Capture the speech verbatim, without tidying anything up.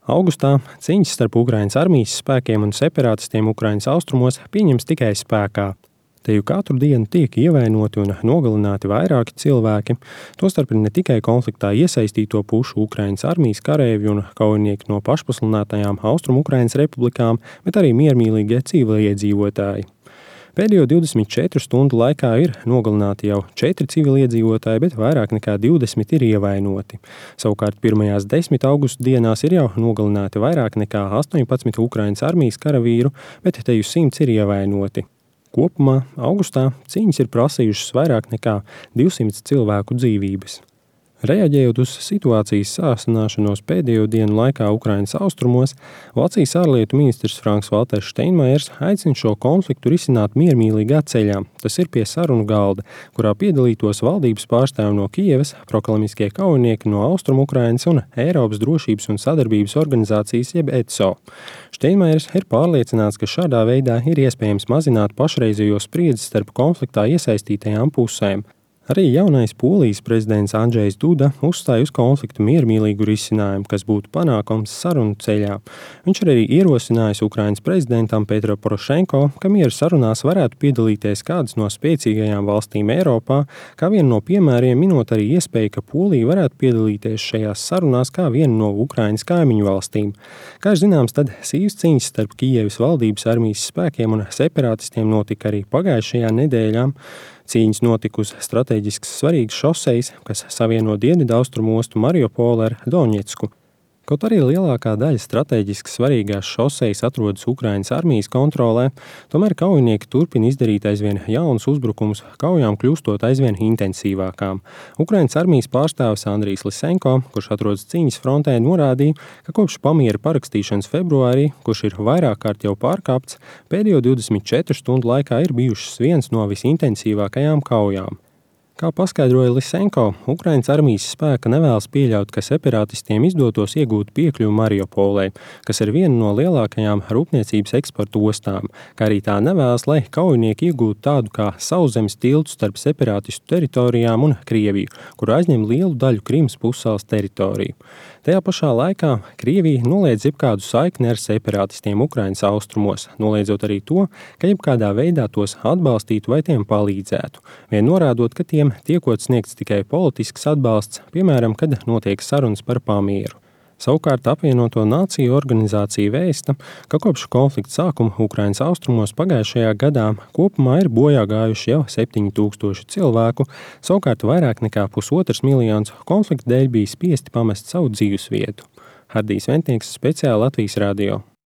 Augustā cīņas starp Ukrainas armijas spēkiem un separātistiem Ukrainas austrumos pieņems tikai spēkā. Te jau katru dienu tiek ievainoti un nogalināti vairāki cilvēki, tostarp ne tikai konfliktā iesaistīto pušu Ukrainas armijas kareivji un kaujinieki no pašpasludinātajām Austrumu Ukrainas republikām, bet arī miermīlīgie civiliedzīvotāji. Pēdējo divdesmit četru stundu laikā ir nogalināti jau četri civiliedzīvotāji, bet vairāk nekā divdesmit ir ievainoti. Savukārt pirmajās desmit augusta dienās ir jau nogalināti vairāk nekā astoņpadsmit Ukrainas armijas karavīru, bet te jau simts ir ievainoti. Kopumā augustā cīņas ir prasījušas vairāk nekā divsimt cilvēku dzīvības. Reaģējot uz situācijas sāsināšanos pēdējo dienu laikā Ukrainas austrumos, Vācijas ārlietu ministrs Franks-Valters Steinmeiers aicina šo konfliktu risināt miermīlīgā ceļā. Tas ir pie sarunu galda, kurā piedalītos valdības pārstāvi no Kijevas, proklamiskie kaujinieki no Austrumu Ukrainas un Eiropas drošības un sadarbības organizācijas jeb E C O. Steinmeiers ir pārliecināts, ka šādā veidā ir iespējams mazināt pašreizējo spriedzi starp konfliktā iesaistītajām pusēm. Arī jaunais Polijas prezidents Andžejs Duda uzstāja uz konfliktu miermīlīgu risinājumu, kas būtu panākams sarunu ceļā. Viņš arī ierosinājis Ukrainas prezidentam Petro Porošenko, ka miera sarunās varētu piedalīties kādas no spēcīgajām valstīm Eiropā, kā vienu no piemēriem minot arī iespēju, ka Polija varētu piedalīties šajās sarunās kā vienu no Ukrainas kaimiņu valstīm. Kā zināms, tad sīvas cīņas starp Kijevas valdības armijas spēkiem un separātistiem notika arī pagājušajā nedēļā. Cīņas notika uz strateģiski svarīgas šosejas, kas savieno dienvidaustrumu ostu Mariupolu ar Doņetsku. Kaut arī lielākā daļa strateģiski svarīgās šosejas atrodas Ukrainas armijas kontrolē, tomēr kaujinieki turpina izdarīt aizvien jaunus uzbrukumus, kaujām kļūstot aizvien intensīvākām. Ukrainas armijas pārstāvis Andrijs Lisenko, kurš atrodas cīņas frontē, norādīja, ka kopš pamiera parakstīšanas februārī, kurš ir vairāk kārt jau pārkāpts, pēdējo divdesmit četru stundu laikā ir bijušas viens no visintensīvākajām kaujām. Kā paskaidroja Lisenko, Ukrainas armijas spēka nevēlas pieļaut, ka separātistiem izdotos iegūt piekļuvi Mariupolē, kas ir viena no lielākajām rūpniecības eksporta ostām, kā arī tā nevēlas, lai kaujinieki iegūtu tādu kā sauszemes tiltu starp separātistu teritorijām un Krieviju, kur aizņem lielu daļu Krimas pussalas teritoriju. Tajā pašā laikā Krievija noliedz jebkādu saikni ar separātistiem Ukrainas austrumos, noliedzot arī to, ka jebkādā veidā tos atbalstītu vai tiem palīdzētu, vien norādot, ka tiem tiekot sniegts tikai politisks atbalsts, piemēram, kad notiek sarunas par pamieru. Savukārt apvienoto nāciju organizācija vēsta, ka kopš konflikta sākuma Ukrainas austrumos pagājušajā gadā kopumā ir bojā gājuši jau septiņi tūkstoši cilvēku, savukārt vairāk nekā pusotrs miljons konflikta dēļ bija spiesti pamest savu dzīvesvietu. Hardijs Ventnieks, speciāli Latvijas radio.